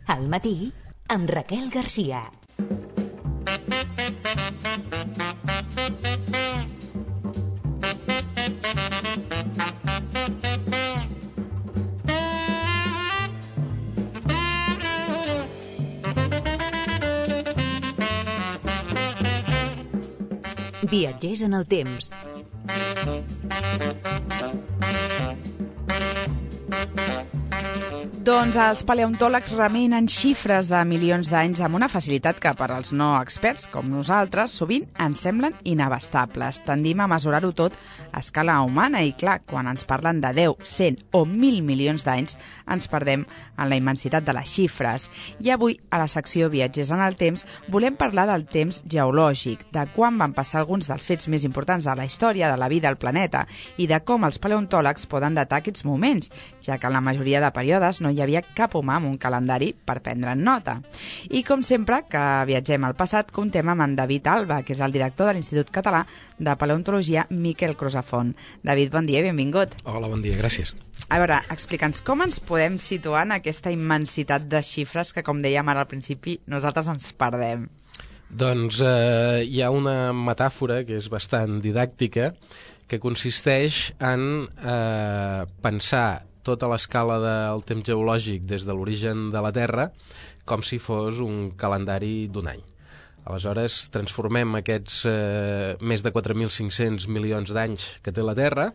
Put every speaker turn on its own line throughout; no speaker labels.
Al matí, amb Raquel Garcia. Viatgers en el temps.
Doncs els paleontòlegs remenen xifres de milions d'anys amb una facilitat que per als no experts, com nosaltres, sovint ens semblen inabastables. Tendim a mesurar-ho tot a escala humana i, clar, quan ens parlen de 10, 100 o 1.000 milions d'anys, ens perdem en la immensitat de les xifres. I avui, a la secció Viatgers en el temps, volem parlar del temps geològic, de quan van passar alguns dels fets més importants de la història de la vida al planeta i de com els paleontòlegs poden datar aquests moments, ja que en la majoria de períodes no hi havia cap humà amb un calendari per prendre'n nota. I com sempre que viatgem al passat, comptem amb en David Alba, que és el director de l'Institut Català de Paleontologia Miquel Crusafont. David, bon dia, benvingut.
Hola, bon dia, gràcies.
A veure, explica'ns com ens podem situar en aquesta immensitat de xifres que, com dèiem ara al principi, nosaltres ens perdem.
Doncs hi ha una metàfora que és bastant didàctica que consisteix en pensar tota l'escala del temps geològic des de l'origen de la Terra com si fos un calendari d'un any. Aleshores, transformem aquests més de 4.500 milions d'anys que té la Terra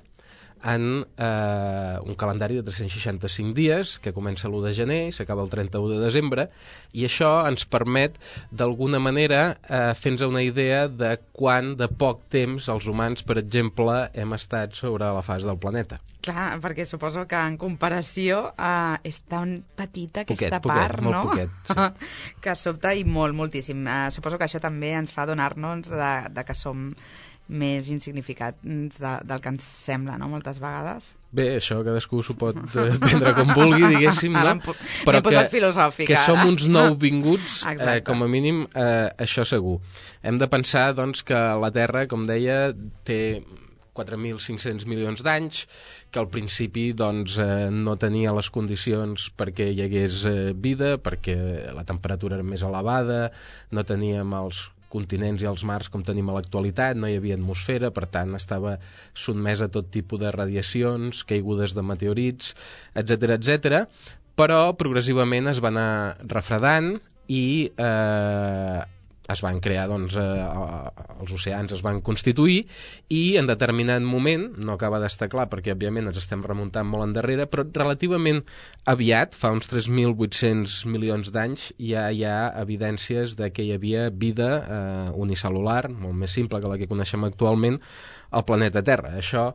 en un calendari de 365 dies que comença l'1 de gener i s'acaba el 31 de desembre, i això ens permet d'alguna manera fer-nos una idea de quant de poc temps els humans, per exemple, hem estat sobre la faç del planeta.
Clar, perquè suposo que en comparació és tan petita aquesta part,
molt
no?
Poquet, sí.
Que sobta i moltíssim. Suposo que això també ens fa adonar-nos de que som més insignificants del que ens sembla, no?, moltes vegades.
Bé, això cadascú s'ho pot prendre com vulgui, diguéssim, no?
Però que
som uns nouvinguts, com a mínim, això segur. Hem de pensar, doncs, que la Terra, com deia, té 4.500 milions d'anys, que al principi doncs, no tenia les condicions perquè hi hagués vida, perquè la temperatura era més elevada, no teníem els continents i els mars com tenim a l'actualitat, no hi havia atmosfera, per tant estava sotmès a tot tipus de radiacions, caigudes de meteorits, etc etc. Però progressivament es va anar refredant i es van crear, doncs, els oceans es van constituir, i en determinat moment, no acaba d'estar clar perquè òbviament ens estem remuntant molt endarrere, però relativament aviat, fa uns 3.800 milions d'anys, ja hi ha evidències de que hi havia vida unicel·lular, molt més simple que la que coneixem actualment, al planeta Terra. Això,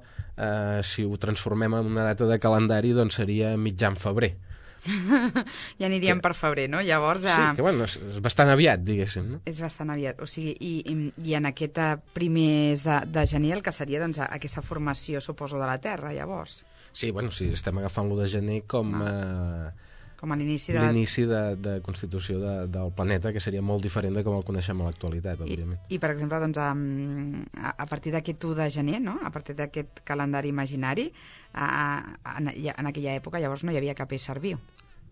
si ho transformem en una data de calendari, doncs seria mitjan febrer.
Ja aniríem per febrer, no? Llavors,
sí, que bueno, és bastant aviat, diguéssim, no?
És bastant aviat, o sigui, i en aquest primers de gener el que seria, doncs, aquesta formació, suposo, de la Terra, llavors.
Sí, bueno, sí, estem agafant l'1 de gener com
a l'inici
de constitució del planeta, que seria molt diferent de com el coneixem a l'actualitat, òbviament.
I per exemple, doncs, a partir d'aquest 1 de gener, no?, a partir d'aquest calendari imaginari, en aquella època llavors no hi havia cap ésser viu.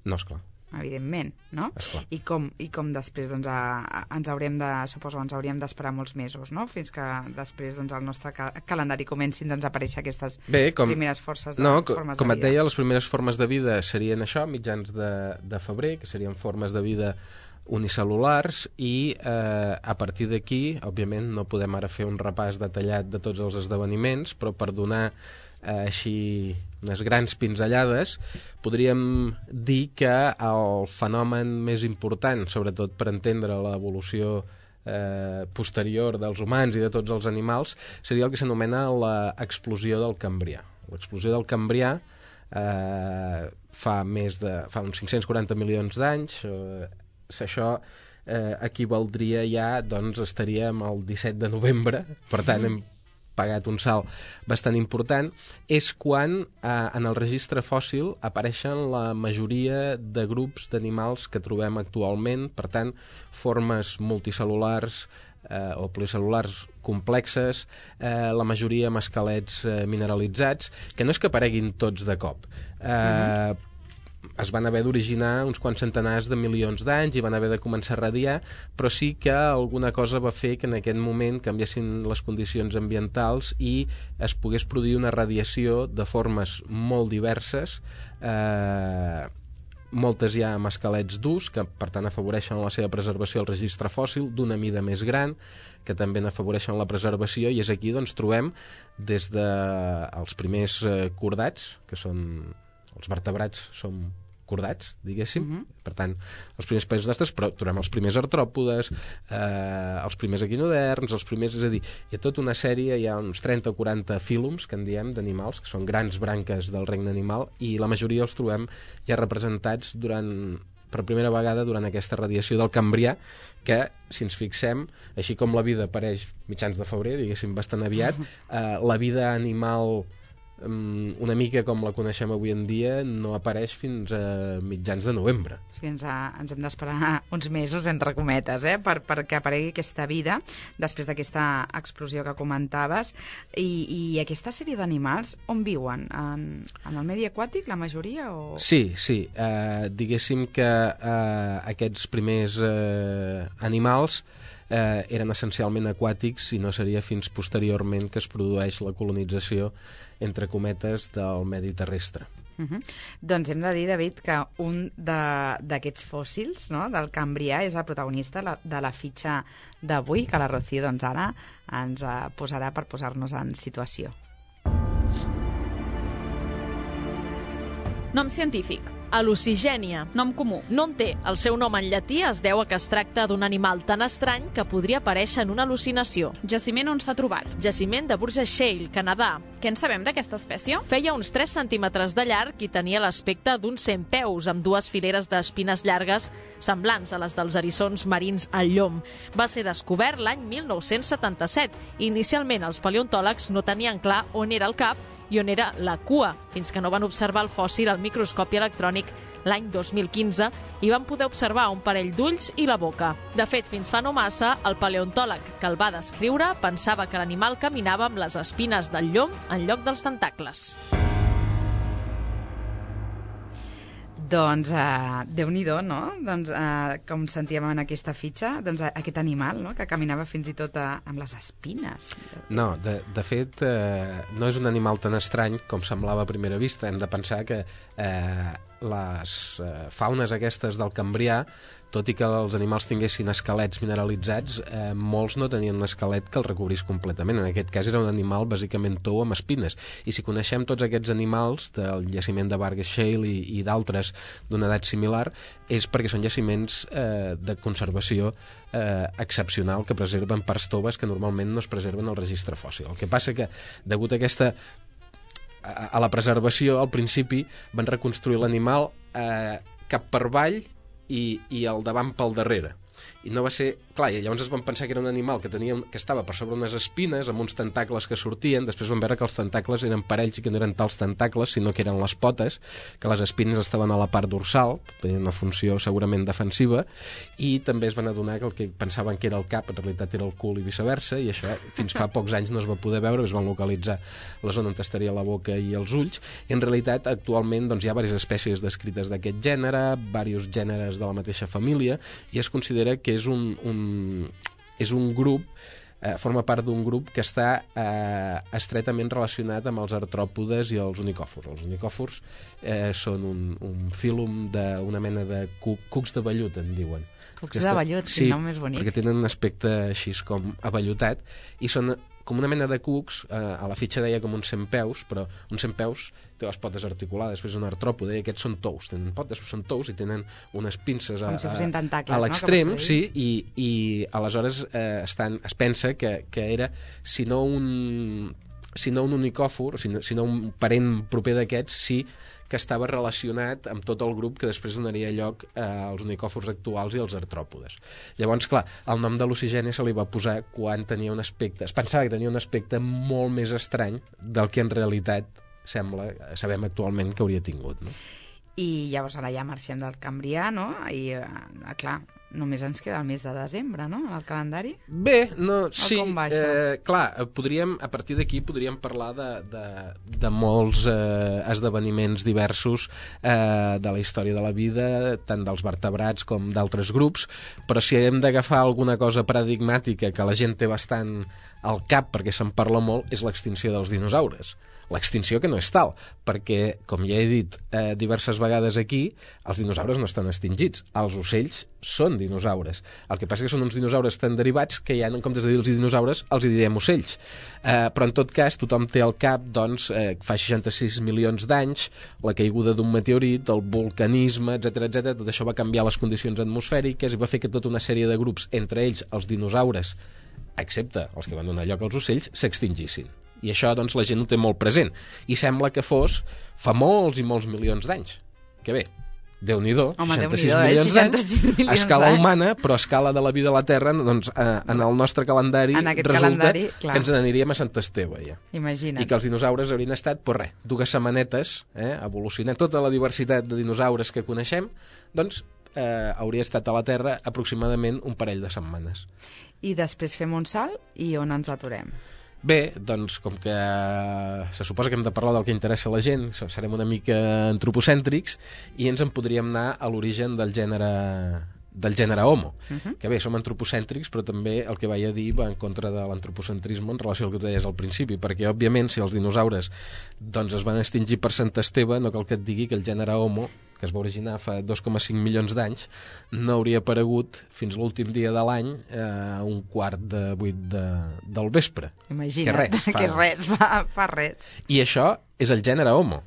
No, esclar.
Evidentment, no? I com després, doncs, ens hauríem d'esperar molts mesos, no?, fins que després, doncs, el nostre calendari comencin, doncs, a aparèixer aquestes primeres formes de vida.
Com et deia, les primeres formes de vida serien això, mitjans de febrer, que serien formes de vida unicel·lulars, i a partir d'aquí, òbviament, no podem ara fer un repàs detallat de tots els esdeveniments, però per donar així unes grans pinzellades, podríem dir que el fenomen més important, sobretot per entendre l'evolució posterior dels humans i de tots els animals, seria el que s'anomena l'explosió del Cambrià. L'explosió del Cambrià fa uns 540 milions d'anys. Això equivaldria ja, doncs estaríem el 17 de novembre, per tant hem pagat un salt bastant important. És quan en el registre fòssil apareixen la majoria de grups d'animals que trobem actualment, per tant, formes multicel·lulars o pluricel·lulars complexes, la majoria amb esquelets mineralitzats, que no és que apareguin tots de cop. es van haver d'originar uns quants centenars de milions d'anys i van haver de començar a radiar, però sí que alguna cosa va fer que en aquest moment canviessin les condicions ambientals i es pogués produir una radiació de formes molt diverses, moltes ja amb esquelets durs, que per tant afavoreixen la seva preservació al registre fòssil, d'una mida més gran, que també n'afavoreixen la preservació, i és aquí doncs trobem des dels primers cordats, que són els vertebrats, són cordats, diguéssim. Per tant, els primers països d'astres, però trobem els primers artròpodes, els primers equinoderms, els primers... És a dir, hi ha tota una sèrie, hi ha uns 30 o 40 fílums, que en diem, d'animals, que són grans branques del regne animal, i la majoria els trobem ja representats per primera vegada durant aquesta radiació del Cambrià, que, si ens fixem, així com la vida apareix mitjans de febrer, diguéssim, bastant aviat, la vida animal una mica com la coneixem avui en dia no apareix fins a mitjans de novembre.
Sí, ens hem d'esperar uns mesos, entre cometes, perquè aparegui aquesta vida després d'aquesta explosió que comentaves. I aquesta sèrie d'animals on viuen? En el medi aquàtic, la majoria? O...
Sí. Diguéssim que aquests primers animals eren essencialment aquàtics i no seria fins posteriorment que es produeix la colonització, entre cometes, del medi terrestre.
Doncs hem de dir, David, que un d'aquests fòssils, no?, del Cambrià és el protagonista de la fitxa d'avui, que la Rocío doncs, ara ens posarà per posar-nos en situació.
Nom científic: Hallucigènia. Nom comú: no en té. El seu nom en llatí es deu a que es tracta d'un animal tan estrany que podria aparèixer en una al·lucinació.
Jaciment on s'ha trobat?
Jaciment de Burgess Shale, Canadà.
Què en sabem d'aquesta espècie?
Feia uns 3 centímetres de llarg i tenia l'aspecte d'un centpeus, amb 2 fileres d'espines llargues semblants a les dels eriçons marins al llom. Va ser descobert l'any 1977 i inicialment els paleontòlegs no tenien clar on era el cap i on era la cua, fins que no van observar el fòssil al microscopi electrònic l'any 2015 i van poder observar un parell d'ulls i la boca. De fet, fins fa no massa, el paleontòleg que el va descriure pensava que l'animal caminava amb les espines del llom en lloc dels tentacles.
Doncs, Déu-n'hi-do, no? Doncs, com sentíem en aquesta fitxa, doncs aquest animal, no?, que caminava fins i tot amb les espines.
No, de fet, no és un animal tan estrany com semblava a primera vista. Hem de pensar que les faunes aquestes del Cambrià, tot i que els animals tinguessin esquelets mineralitzats, molts no tenien un esquelet que el recobrís completament. En aquest cas era un animal bàsicament tou amb espines. I si coneixem tots aquests animals del jaciment de Burgess Shale i d'altres d'una edat similar, és perquè són jaciments de conservació excepcional que preserven parts toves que normalment no es preserven al registre fòssil. El que passa que, degut a la preservació, al principi van reconstruir l'animal cap per avall i el davant pel darrere. I no va ser... Clar, i llavors es van pensar que era un animal que estava per sobre unes espines amb uns tentacles que sortien. Després van veure que els tentacles eren parells i que no eren tals tentacles, sinó que eren les potes, que les espines estaven a la part dorsal, tenien una funció segurament defensiva, i també es van adonar que el que pensaven que era el cap en realitat era el cul i viceversa, i això fins fa pocs anys no es va poder veure. Es van localitzar la zona on estaria la boca i els ulls, i en realitat actualment doncs, hi ha diverses espècies descrites d'aquest gènere, diversos gèneres de la mateixa família, i es considera que és un grup, forma part d'un grup que està estretament relacionat amb els artròpodes i els unicòfors. Els unicòfors són un fílum d'una mena de cucs de vellut, en diuen.
Cucs de vellut, quin nom més bonic.
Sí, perquè tenen un aspecte així com avellutat, i són com una mena de cucs, a la fitxa deia com uns centpeus, però un centpeus té les potes articulades, després un artròpode, i aquests són tous, tenen potes, són tous i tenen unes pinces
com si fossin tentacles,
a l'extrem, no? Sí, i aleshores es pensa que era, si no un unicòfor, si no un parent proper d'aquests, sí que estava relacionat amb tot el grup que després donaria lloc als unicòfors actuals i als artròpodes. Llavors, clar, el nom de Hallucigènia se li va posar quan tenia un aspecte... Es pensava que tenia un aspecte molt més estrany del que en realitat sabem actualment que hauria tingut, no?
I llavors ara ja marxem del Cambrià, no? I, clar, només ens queda el mes de desembre, no?, en el calendari.
Bé, no, sí,
com va això?
clar, a partir d'aquí podríem parlar de molts esdeveniments diversos de la història de la vida, tant dels vertebrats com d'altres grups, però si hem d'agafar alguna cosa paradigmàtica que la gent té bastant al cap perquè se'n parla molt, és l'extinció dels dinosaures. L'extinció que no és tal, perquè, com ja he dit diverses vegades aquí, els dinosaures no estan extingits. Els ocells són dinosaures. El que passa que són uns dinosaures tan derivats que ja, en comptes de dir-los dinosaures, els direm ocells. Però, en tot cas, tothom té al cap, doncs, fa 66 milions d'anys, la caiguda d'un meteorit, el vulcanisme, etc. Tot això va canviar les condicions atmosfèriques i va fer que tota una sèrie de grups, entre ells els dinosaures, excepte els que van donar lloc als ocells, s'extingissin. I això, doncs, la gent ho té molt present. I sembla que fos fa molts i molts milions d'anys. Que bé, Déu-n'hi-do, 66 milions d'anys, a escala humana, però a escala de la vida a la Terra, doncs, en el nostre calendari resulta que ens n'aniríem a Sant Esteve, ja.
Imagina't.
I que els dinosaures haurien estat, pues res, 2 setmanetes, evolucionant tota la diversitat de dinosaures que coneixem, doncs, hauria estat a la Terra aproximadament un parell de setmanes.
I després fem un salt i on ens aturem?
Bé, doncs, com que se suposa que hem de parlar del que interessa a la gent, serem una mica antropocèntrics i ens en podríem anar a l'origen del gènere Homo. Que bé, som antropocèntrics, però també el que vaig a dir va en contra de l'antropocentrisme en relació al que tu deies al principi, perquè, òbviament, si els dinosaures doncs, es van extingir per Sant Esteve, no cal que et digui que el gènere Homo, que es va originar fa 2,5 milions d'anys, no hauria aparegut fins l'últim dia de l'any a 7:45 del vespre.
Imagina't, que res, fa res.
I això és el gènere Homo.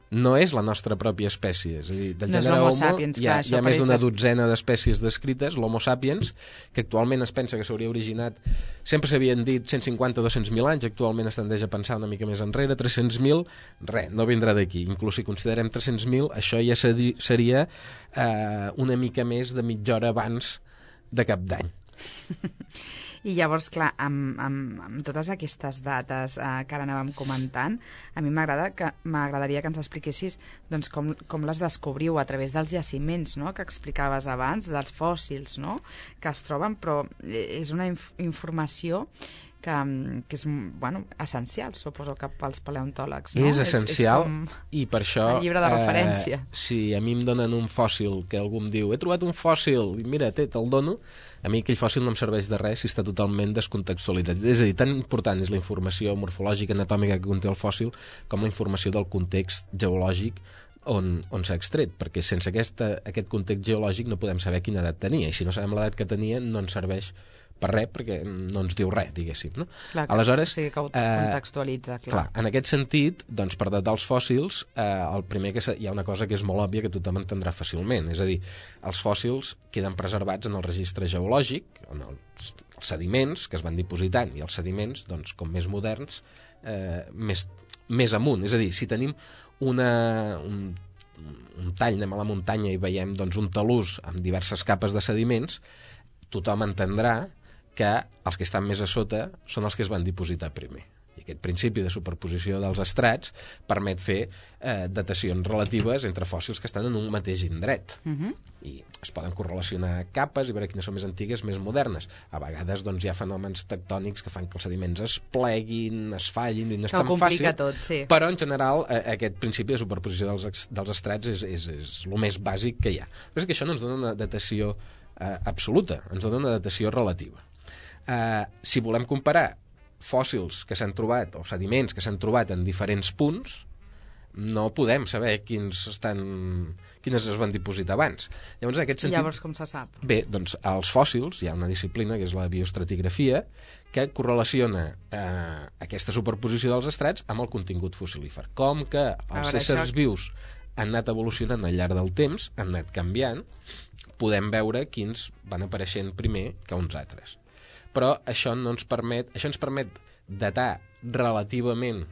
No és la nostra pròpia espècie. És a dir, del gènere Homo
sapiens,
hi ha més d'una dotzena d'espècies descrites, l'Homo sapiens, que actualment es pensa que s'hauria originat, sempre s'havien dit 150-200.000 anys, actualment es tendeix a pensar una mica més enrere, 300.000, res, no vindrà d'aquí. Inclús si considerem 300.000, això ja seria una mica més de mitja hora abans de Cap d'Any.
I llavors, clar, amb totes aquestes dates que ara anàvem comentant, a mi m'agradaria que ens expliquessis doncs, com les descobriu a través dels jaciments, no?, que explicaves abans, dels fòssils, no?, que es troben, però és una informació que és, bueno, essencial, suposo que pels paleontòlegs, no?
És essencial, i per això...
El llibre de referència.
Si a mi em donen un fòssil, que algú em diu, he trobat un fòssil, i mira, te'l dono, a mi aquell fòssil no em serveix de res si està totalment descontextualitzat. És a dir, tan important és la informació morfològica, anatòmica que conté el fòssil, com la informació del context geològic on s'ha extret, perquè sense aquest context geològic no podem saber quina edat tenia, i si no sabem l'edat que tenia no ens serveix per res, perquè no ens diu res, diguéssim, no?
Clar,
aleshores,
sí, que ho contextualitza, clar.
En aquest sentit, doncs, per datar els fòssils, el primer que hi ha una cosa que és molt òbvia que tothom entendrà fàcilment, és a dir, els fòssils queden preservats en el registre geològic, en els sediments que es van dipositant, i els sediments, doncs, com més moderns, més amunt. És a dir, si tenim un tall, anem a la muntanya i veiem doncs, un talús amb diverses capes de sediments, tothom entendrà que els que estan més a sota són els que es van dipositar primer. I aquest principi de superposició dels estrats permet fer datacions relatives entre fòssils que estan en un mateix indret. I es poden correlacionar capes i veure quines són més antigues, més modernes. A vegades doncs, hi ha fenòmens tectònics que fan que els sediments es pleguin, es fallin, i no és tan fàcil.
Tot, sí.
Però, en general, aquest principi de superposició dels estrats és el més bàsic que hi ha. Però és que això no ens dona una datació absoluta, ens dona una datació relativa. Si volem comparar fòssils que s'han trobat o sediments que s'han trobat en diferents punts, no podem saber quines es van dipositar abans. Llavors, en aquest sentit,
llavors com se sap?
Bé, doncs als fòssils hi ha una disciplina que és la bioestratigrafia que correlaciona aquesta superposició dels estrats amb el contingut fossilífer. Com que els éssers vius han anat evolucionant al llarg del temps, han anat canviant, podem veure quins van apareixent primer que uns altres. Però això ens permet datar relativament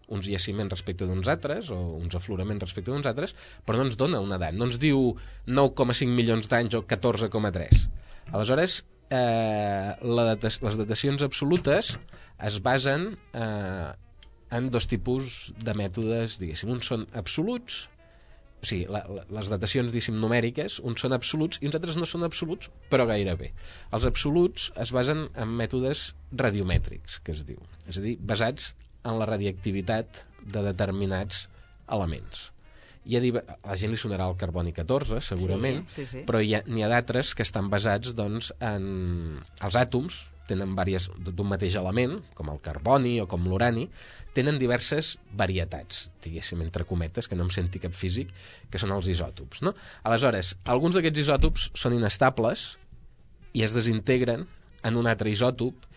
uns jaciments respecte d'uns altres o uns afloraments respecte d'uns altres, però no ens dona una edat, no ens diu 9,5 milions d'anys o 14,3. Aleshores, les datacions absolutes es basen en dos tipus de mètodes, diguéssim. Uns són absoluts O sigui, les datacions, diguéssim, numèriques, uns són absoluts i uns altres no són absoluts, però gairebé. Els absoluts es basen en mètodes radiomètrics, que es diu. És a dir, basats en la radiactivitat de determinats elements. A la gent li sonarà el carboni 14, segurament,
sí.
però n'hi ha d'altres que estan basats doncs, en els àtoms, tenen diverses d'un mateix element, com el carboni o com l'urani, tenen diverses varietats, diguéssim, entre cometes, que no em senti cap físic, que són els isòtops. No? Aleshores, alguns d'aquests isòtops són inestables i es desintegren en un altre isòtop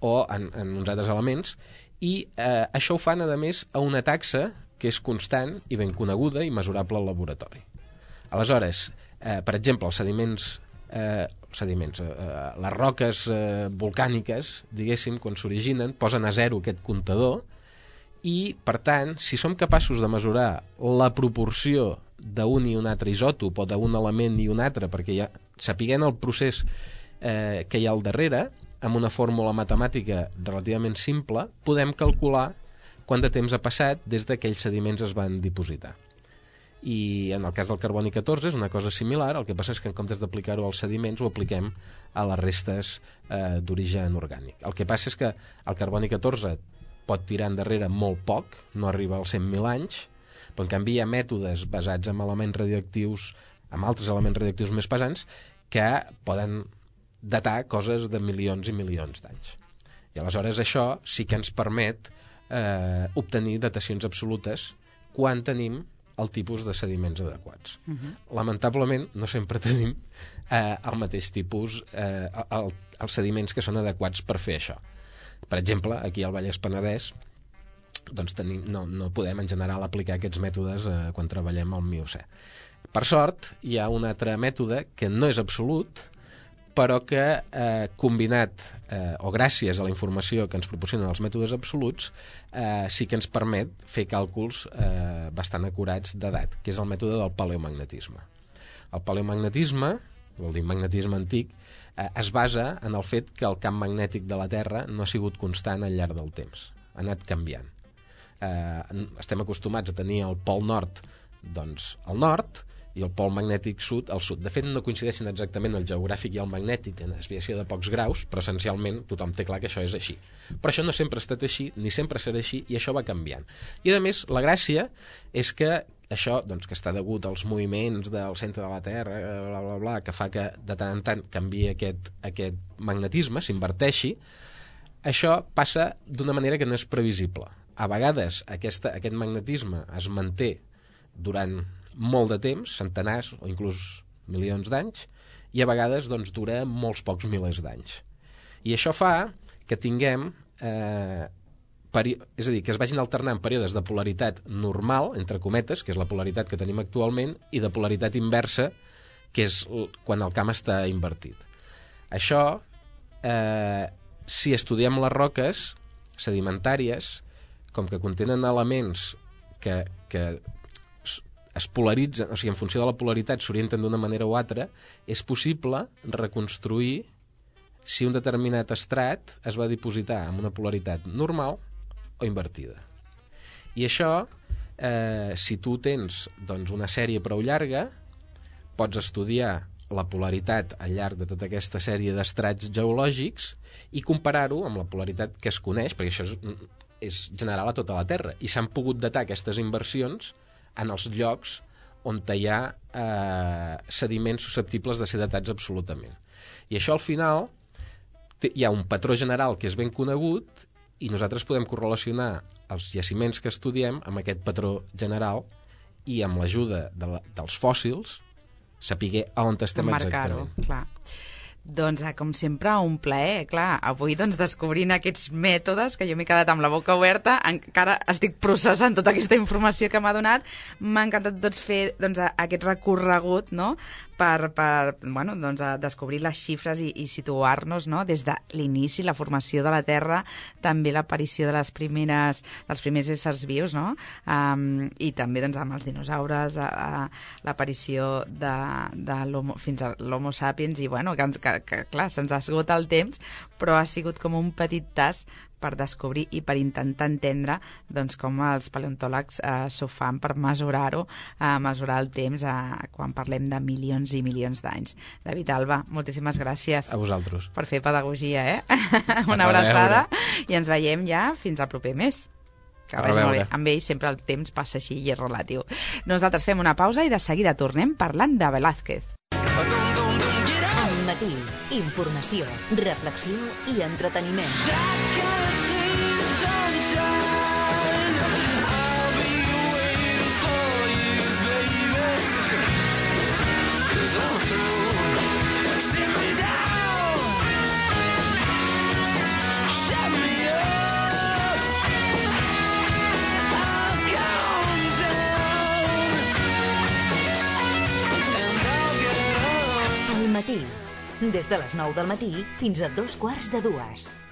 o en uns altres elements, i això ho fan, a més, a una taxa que és constant i ben coneguda i mesurable al laboratori. Aleshores, per exemple, els sediments, les roques volcàniques, diguéssim, quan s'originen, posen a zero aquest comptador i, per tant, si som capaços de mesurar la proporció d'un i un altre isòtop o d'un element i un altre, perquè sapiguent el procés que hi ha al darrere, amb una fórmula matemàtica relativament simple, podem calcular quant de temps ha passat des que aquells sediments es van dipositar. I en el cas del carboni 14 és una cosa similar, el que passa és que en comptes d'aplicar-ho als sediments ho apliquem a les restes d'origen orgànic. El que passa és que el carboni 14 pot tirar endarrere molt poc, no arriba als 100.000 anys, però en canvi hi ha mètodes basats en elements radioactius, amb altres elements radioactius més pesants, que poden datar coses de milions i milions d'anys. I aleshores això sí que ens permet obtenir datacions absolutes quan tenim el tipus de sediments adequats. Lamentablement no sempre tenim el mateix tipus, els sediments que són adequats per fer això. Per exemple, aquí al Vallès Penedès doncs no podem en general aplicar aquests mètodes quan treballem al Miocè. Per sort, hi ha un altre mètode que no és absolut, però que combinat o gràcies a la informació que ens proporcionen els mètodes absoluts sí que ens permet fer càlculs bastant acurats d'edat, que és el mètode del paleomagnetisme. El paleomagnetisme, vol dir magnetisme antic, es basa en el fet que el camp magnètic de la Terra no ha sigut constant al llarg del temps, ha anat canviant. Estem acostumats a tenir el pol nord doncs al nord i el pol magnètic sud al sud. De fet, no coincideixen exactament el geogràfic i el magnètic, tenen desviació de pocs graus, però essencialment tothom té clar que això és així. Però això no sempre ha estat així, ni sempre serà així, i això va canviant. I, a més, la gràcia és que això, doncs, que està degut als moviments del centre de la Terra, bla, bla, bla, que fa que de tant en tant canviï aquest magnetisme, s'inverteixi, això passa d'una manera que no és previsible. A vegades aquest magnetisme es manté durant molt de temps, centenars o inclús milions d'anys, i a vegades doncs, dura molts pocs milers d'anys. I això fa que tinguem és a dir, que es vagin alternant períodes de polaritat normal, entre cometes, que és la polaritat que tenim actualment, i de polaritat inversa, que és quan el camp està invertit. Això, si estudiem les roques sedimentàries, com que contenen elements que es polaritzen, o sigui, en funció de la polaritat s'orienten d'una manera o altra, és possible reconstruir si un determinat estrat es va dipositar amb una polaritat normal o invertida. I això, si tu tens doncs, una sèrie prou llarga, pots estudiar la polaritat al llarg de tota aquesta sèrie d'estrats geològics i comparar-ho amb la polaritat que es coneix, perquè això és general a tota la Terra, i s'han pogut datar aquestes inversions en els llocs on hi ha sediments susceptibles de ser datats absolutament. I això al final hi ha un patró general que és ben conegut i nosaltres podem correlacionar els jaciments que estudiem amb aquest patró general i amb l'ajuda dels fòssils saber on estem exactament.
Clar. Doncs, com sempre, un plaer. Clar, avui descobrint aquests mètodes, que jo m'he quedat amb la boca oberta, encara estic processant tota aquesta informació que m'ha donat. M'ha encantat fer aquest recorregut, no?, per descobrir les xifres i situar-nos, no?, des de l'inici, la formació de la Terra, també l'aparició dels primers éssers vius, no?, i també amb els dinosaures, l'aparició fins a l'Homo sapiens, i que clar, se'ns esgota el temps, però ha sigut com un petit tas per descobrir i per intentar entendre doncs, com els paleontòlegs s'ho fan per mesurar-ho, mesurar el temps quan parlem de milions i milions d'anys. David Alba, moltíssimes gràcies.
A vosaltres.
Per fer pedagogia, Una abraçada i ens veiem ja fins al proper mes. Que vagi molt bé. Amb ell sempre el temps passa així i és relatiu. Nosaltres fem una pausa i de seguida tornem parlant de Velázquez.
Al matí, informació, reflexió i entreteniment. Al matí, des de les 9 del matí fins a 2:15.